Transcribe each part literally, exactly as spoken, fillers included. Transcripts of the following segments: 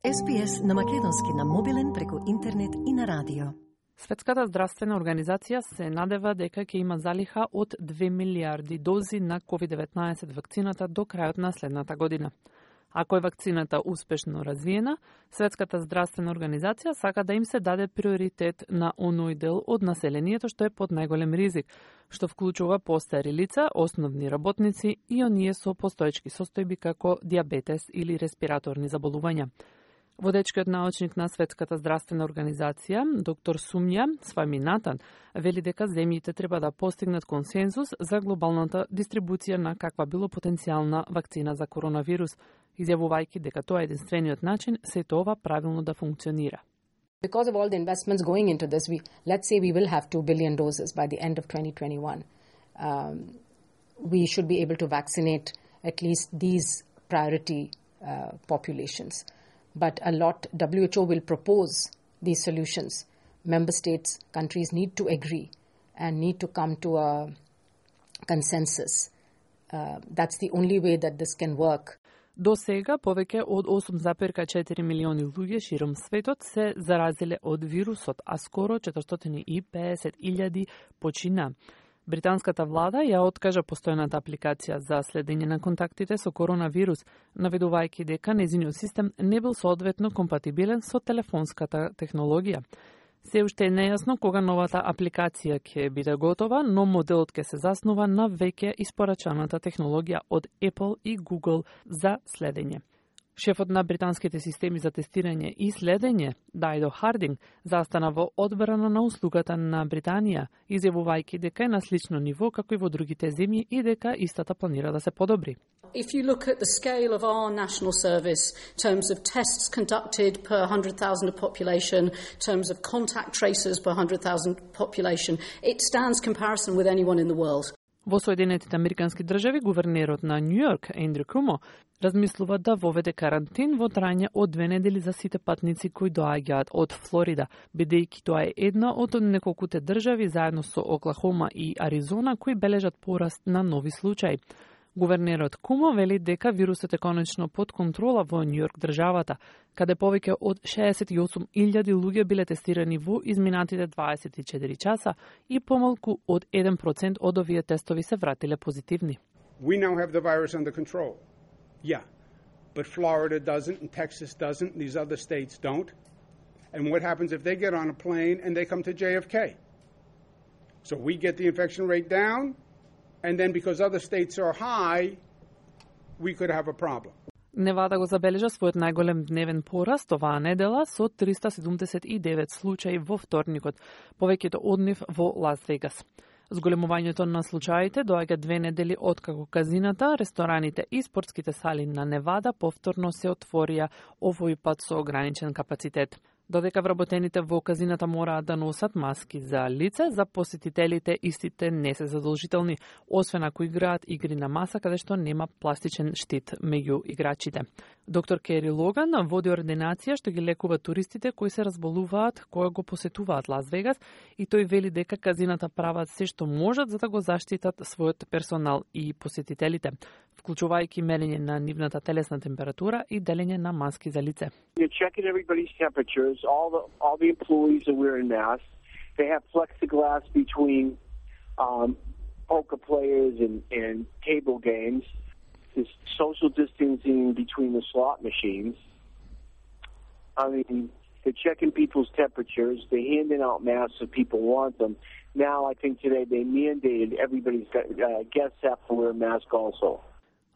Ес Би Ес на македонски на мобилен преку интернет и на радио. Светската здравствена организација се надева дека ќе има залиха од две милиарди дози на ковид деветнаесет вакцината до крајот на следната година. Ако е вакцината успешно развиена, Светската здравствена организација сака да им се даде приоритет на оној дел од населението што е под најголем ризик, што вклучува постари лица, основни работници и оние со постоечки состојби како дијабетес или респираторни заболувања. Водечкиот научник на Светската здравствена организација, доктор Сумја Сваминатан, вели дека земјите треба да постигнат консензус за глобалната дистрибуција на каква било потенцијална вакцина за коронавирус, изјавувајќи дека тоа е единствениот начин сето ова правилно да функционира. Because of all the investments going into this, we let's say we will have two billion doses by the end of twenty twenty-one. Um, we should be able to vaccinate at least these priority uh, populations. But a lot, W H O will propose these solutions. Member states, countries need to agree and need to come to a consensus. Uh, that's the only way that this can work. До сега повеќе од осум запирка четири милиони луѓе широм светот се заразиле од вирусот, а скоро четиристотини и педесет илјади почина. Британската влада ја откажа постојната апликација за следење на контактите со коронавирус, наведувајќи дека нејзиниот систем не бил соодветно компатибилен со телефонската технологија. Се уште е нејасно кога новата апликација ќе биде готова, но моделот ќе се заснува на веќе испорачаната технологија од Apple и Google за следење. Шефот на британските системи за тестирање и следење, Дайдо Хардинг, застана во одбрана на услугата на Британија, изјавувајќи дека е на слично ниво како и во другите земји и дека истата планира да се подобри. If you look at the scale of our national service, in terms of tests conducted per one hundred thousand of population, in terms of contact tracers per one hundred thousand population, it stands comparison with anyone in the world. Во Соединетите Американски држави, гувернерот на Њујорк, Ендрю Кумо, размислува да воведе карантин во трајање од две недели за сите патници кои доаѓаат од Флорида, бидејќи тоа е една од неколкуте држави заедно со Оклахома и Аризона кои бележат пораст на нови случаи. Гувернерот Кумо вели дека вирусот е конечно под контрола во Њујорк државата, каде повеќе од шеесет и осум илјади луѓе биле тестирани во изминатите дваесет и четири часа и помалку од еден процент од овие тестови се вратиле позитивни. We now have the virus under control. Yeah. But Florida doesn't and Texas doesn't, and these other states don't. And what happens if they get on a plane and they come to J F K? So we get the infection rate down. And then because other states are high, we could have a problem. Невада го забележа својот најголем дневен пораст оваа недела со триста седумдесет и девет случаи во вторникот, повеќето од нив во Лас Вегас. Зголемувањето на случаите доаѓа две недели откако казината, рестораните и спортските сали на Невада повторно се отворија, овој пат со ограничен капацитет. Додека вработените во казината мораат да носат маски за лице, за посетителите истите не се задолжителни, освен ако играат игри на маса каде што нема пластичен штит меѓу играчите. Доктор Кери Логан води ординација што ги лекува туристите кои се разболуваат кога го посетуваат Лас Вегас и тој вели дека казината прават се што можат за да го заштитат својот персонал и посетителите, вклучувајќи мерење на нивната телесна температура и делење на маски за лице. All the all the employees are wearing masks. They have plexiglass between um, poker players and, and table games. There's social distancing between the slot machines. I mean, they're checking people's temperatures. They're handing out masks if people want them. Now, I think today they mandated everybody's got, uh, guests have to wear a mask also.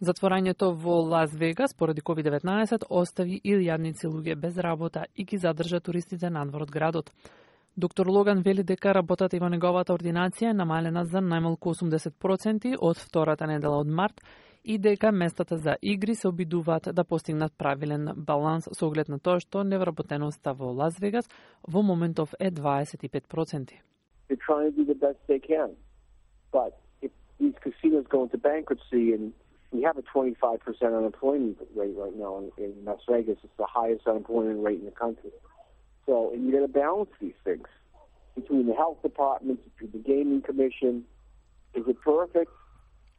Затворањето во Лас Вегас поради ковид деветнаесет остави илјадници луѓе без работа и ги задржа туристите надвор од градот. Доктор Логан вели дека работата и во неговата ординација е намалена за најмалку осумдесет проценти од втората недела од март и дека местата за игри се обидуваат да постигнат правилен баланс со оглед на тоа што невработеноста во Лас Вегас во моментов е дваесет и пет проценти. They're trying to do the best they can. But if these casinos go into bankruptcy and we have a twenty-five percent unemployment rate right now in, in Las Vegas. It's the highest unemployment rate in the country. So, and you got to balance these things between the health department, between the gaming commission. Is it perfect?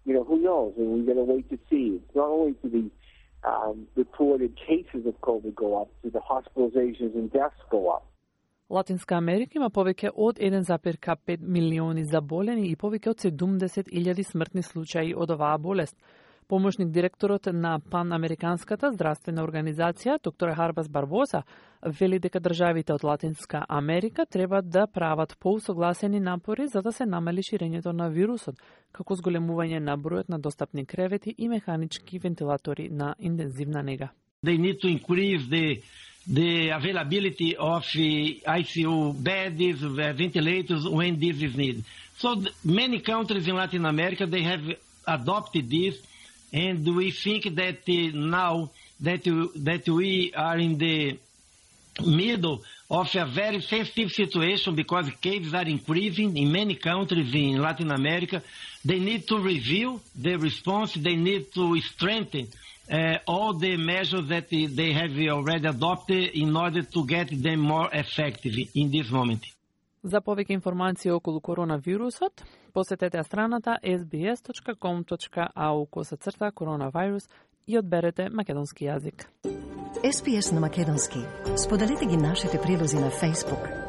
You know, who knows? And we got to wait to see. It's not only to the um, reported cases of COVID go up, do the hospitalizations and deaths go up? Латинска Америка има повеќе од еден запир пет милиони заболени и повеќе од седумдесет илјади смртни случаи од оваа болест. Помошник директорот на Панамериканската здравствена организација, доктор Харбас Барбоса, вели дека државите од Латинска Америка треба да прават поусогласени напори за да се намали ширењето на вирусот, како зголемување на бројот на достапни кревети и механички вентилатори на интензивна нега. They need to increase the the availability of I C U beds, ventilators when this is needed. So many countries in Latin America, they have adopted this, and we think that uh, now that, that we are in the middle of a very sensitive situation because cases are increasing in many countries in Latin America, they need to review the response, they need to strengthen Uh, all the measures that they have already adopted in order to get them more effective in this moment. За повеќе информации околу коронавирусот, посетете страната ес би ес точка ком точка ау косацрта коронавирус и одберете македонски јазик. Ес Би Ес на македонски. Споделете ги нашите прилози на Facebook,